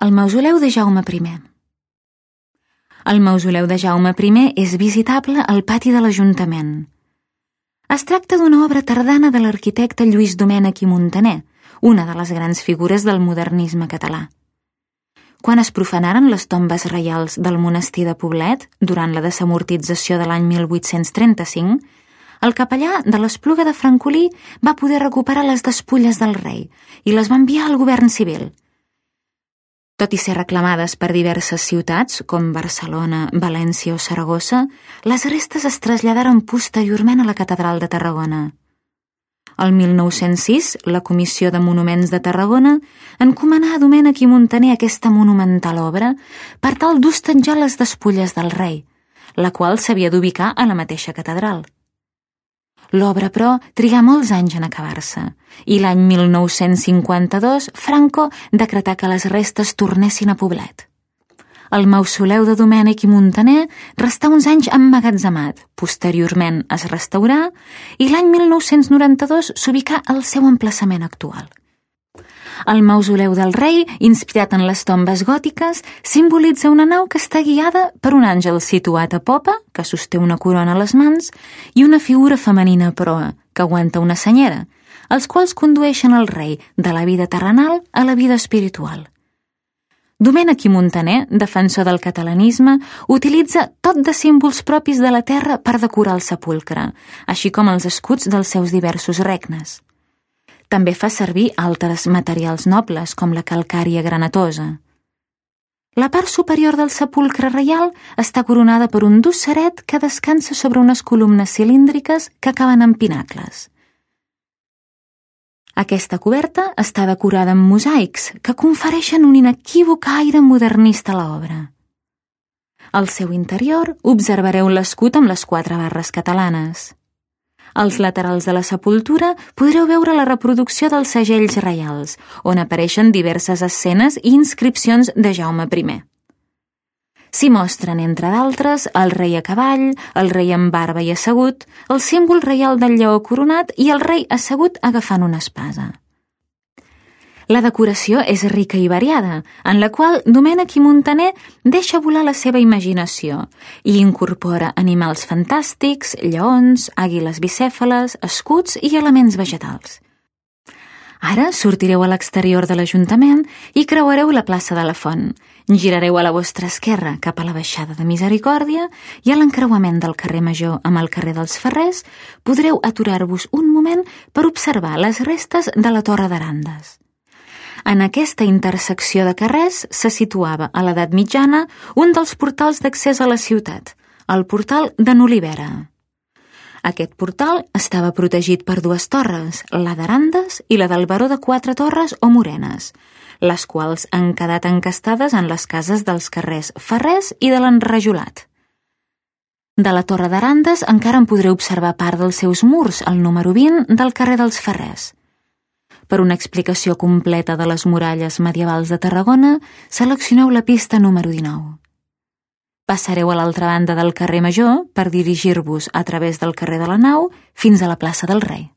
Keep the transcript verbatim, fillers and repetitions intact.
El mausoleu de Jaume primer. El mausoleu de Jaume primer és visitable al pati de l'Ajuntament. Es tracta d'una obra tardana de l'arquitecte Lluís Domènech i Muntaner, una de les grans figures del modernisme català. Quan es profanaren les tombes reials del monestir de Poblet, durant la desamortització de l'any mil vuit-cents trenta-cinc, el capellà de l'Espluga de Francolí va poder recuperar les despulles del rei i les va enviar al govern civil. Tot i ser reclamades per diverses ciutats, com Barcelona, València o Saragossa, les restes es traslladaren posteriorment a la Catedral de Tarragona. El mil nou-cents sis, la Comissió de Monuments de Tarragona encomanà a Domènech i Muntaner aquesta monumental obra per tal d'hostatjar les despulles del rei, la qual s'havia d'ubicar a la mateixa catedral. L'obra, però, trigà molts anys en acabar-se i l'any mil nou-cents cinquanta-dos Franco decretà que les restes tornessin a Poblet. El mausoleu de Domènech i Muntaner restà uns anys emmagatzemat, posteriorment es restaurà i l'any mil nou-cents noranta-dos s'ubicà al seu emplaçament actual. El mausoleu del rei, inspirat en les tombes gòtiques, simbolitza una nau que està guiada per un àngel situat a popa, que sosté una corona a les mans, i una figura femenina a proa, que aguanta una senyera, els quals condueixen el rei de la vida terrenal a la vida espiritual. Domènech i Muntaner, defensor del catalanisme, utilitza tot de símbols propis de la terra per decorar el sepulcre, així com els escuts dels seus diversos regnes. També fa servir altres materials nobles, com la calcària granatosa. La part superior del sepulcre reial està coronada per un dosseret que descansa sobre unes columnes cilíndriques que acaben en pinacles. Aquesta coberta està decorada amb mosaics que confereixen un inequívoc aire modernista a l'obra. Al seu interior observareu l'escut amb les quatre barres catalanes. Als laterals de la sepultura podreu veure la reproducció dels segells reials, on apareixen diverses escenes i inscripcions de Jaume primer. S'hi mostren, entre d'altres, el rei a cavall, el rei amb barba i assegut, el símbol reial del lleó coronat i el rei assegut agafant una espasa. La decoració és rica i variada, en la qual Domènech i Muntaner deixa volar la seva imaginació i incorpora animals fantàstics, lleons, àguiles bicèfales, escuts i elements vegetals. Ara sortireu a l'exterior de l'Ajuntament i creuareu la plaça de la Font. Girareu a la vostra esquerra cap a la baixada de Misericòrdia i a l'encreuament del carrer Major amb el carrer dels Ferrers podreu aturar-vos un moment per observar les restes de la Torre d'Arandes. En aquesta intersecció de carrers se situava a l'edat mitjana un dels portals d'accés a la ciutat, el portal de n'Olivera. Aquest portal estava protegit per dues torres, la d'Arandes i la del Baró de Quatre Torres o Morenes, les quals han quedat encastades en les cases dels carrers Ferrers i de l'Enrajolat. De la Torre d'Arandes encara en podreu observar part dels seus murs, al número vint del carrer dels Ferrers. Per una explicació completa de les muralles medievals de Tarragona, seleccioneu la pista número dinou. Passareu a l'altra banda del carrer Major per dirigir-vos a través del carrer de la Nau fins a la plaça del Rei.